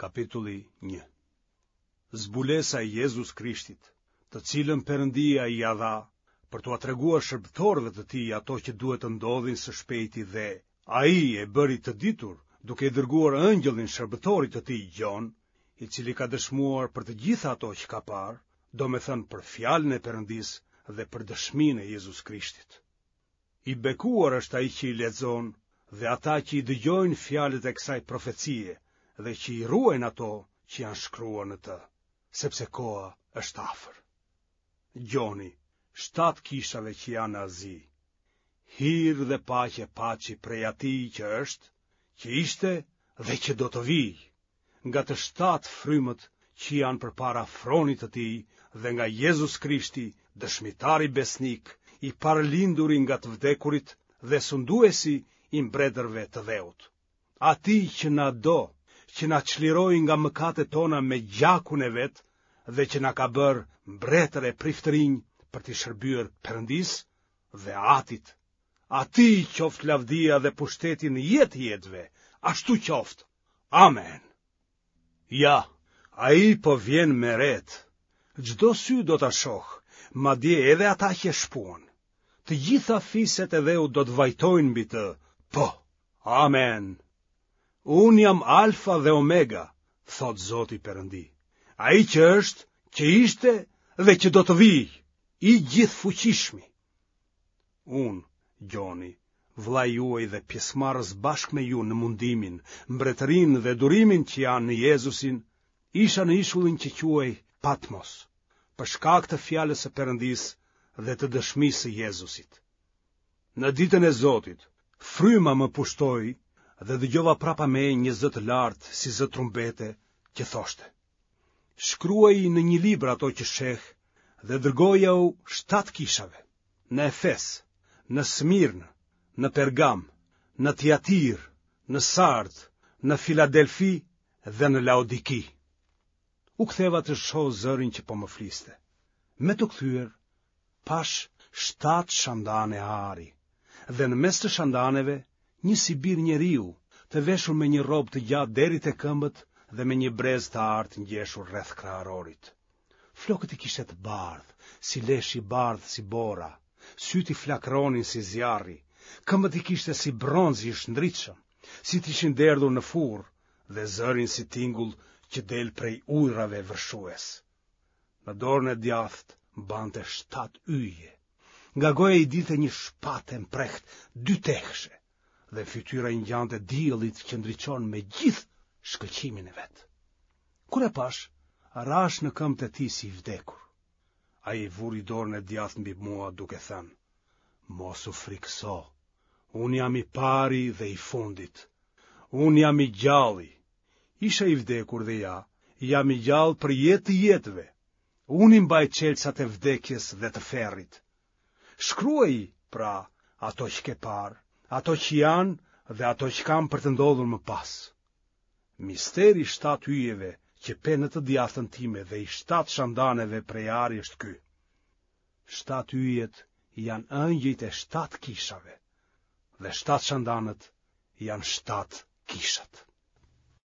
Kapitulli 1 Zbulesa e Jezus Krishtit, të cilën Perëndia ia dha për t'ua treguar shërbëtorëve të tij ato që duhet të ndodhin së shpejti dhe ai e bëri të ditur duke i dërguar ëngjëllin shërbëtorit të tij Gjon, i cili ka dëshmuar për të gjitha ato që ka parë, domethënë për fjalën e Perëndisë dhe për dëshminë e Jezus Krishtit. I bekuar është ai që i lexon dhe ata që i dëgjojnë fjalët e kësaj profecie dhe që i ruajnë ato që janë shkruar në të, sepse koha është afër. Gjoni, shtatë kishave që janë në Azi, hir dhe paqe paçi prej atij që është, që ishte dhe që do të vijë, nga të shtatë frymët që janë përpara fronit të tij dhe nga Jezus Krishti, dëshmitari besnik, i parëlinduri nga të vdekurit dhe sunduesi i mbretërve të dheut. Atij që na do, që na çliroi nga mëkatet tona me gjakun e vet dhe që na ka bërë mbretër e priftërinj për t'i shërbyer Perëndisë dhe Atit. Atij qoftë lavdia dhe pushteti në jetë të jetëve, ashtu qoftë. Amen. Ja, ai po vjen me retë. Çdo sy do ta shohë, madje edhe ata që e shpuan. Të gjitha fiset e dheut do të vajtojnë mbi të. Po. Amen. Unë jam Alfa dhe Omega, thotë Zoti Perëndi. Ai që është, që ishte dhe që do të vijë, i gjithëfuqishmi. Unë, Gjoni, vëllai juaj dhe pjesëmarrës bashkë me ju në mundimin, mbretërinë dhe durimin që janë në Jezusin, isha në ishullin që quhej Patmos, për shkak të fjalës së Perëndisë dhe të dëshmisë së Jezusit. Në ditën e Zotit, fryma më pushtoi dhe dëgjova prapa meje një zë të lartë si zë trumbete që thoshte: Shkruaji në një libër ato që sheh dhe dërgojau shtatë kishave, në Efes, në Smirnë, në Pergam, në Tiatirë, në Sardë, në Filadelfi dhe në Laodiki. U ktheva të shoh zërin që po më fliste. Me t'u kthyer, pashë shtatë shandane ari, dhe në mes të shandaneve një si bir njeriu, të veshur me një rrobë të gjatë deri te këmbët dhe me një brez të artë ngjeshur rreth kraharorit. Flokët i kishte të bardhë, si lesh i bardhë si bora, sytë i flakëronin si zjarri, këmbët i kishte si bronz i shndritshëm, si të ishin derdhur në furrë dhe zërin si tingull që del prej ujërave vërshues. Në dorën e djathtë mbante shtatë yje. Nga goja i dilte një shpatë e mprehtë dytehëshe dhe fytyra i ngjante diellit që ndriçon me gjithë shkëlqimin e vet. Kur e pashë, rashë në këmbët e tij si i vdekur. Ai vuri dorën e djathtë mbi mua duke thënë: Mos u frikëso, unë jam i pari dhe i fundit. Unë jam i gjalli. Isha i vdekur dhe ja, jam i gjallë për jetë të jetëve. Unë i mbaj çelësat e vdekjes dhe të ferrit. Shkruaji, pra, ato që ke parë, ato që janë dhe ato që kanë për të ndodhur më pas. Misteri i shtatë yjeve që pe në të djathtën time dhe i shtatë shandaneve prej ari është ky. Shtatë yjet janë ëngjëjt e shtatë kishave dhe shtatë shandanët janë shtatë kishat.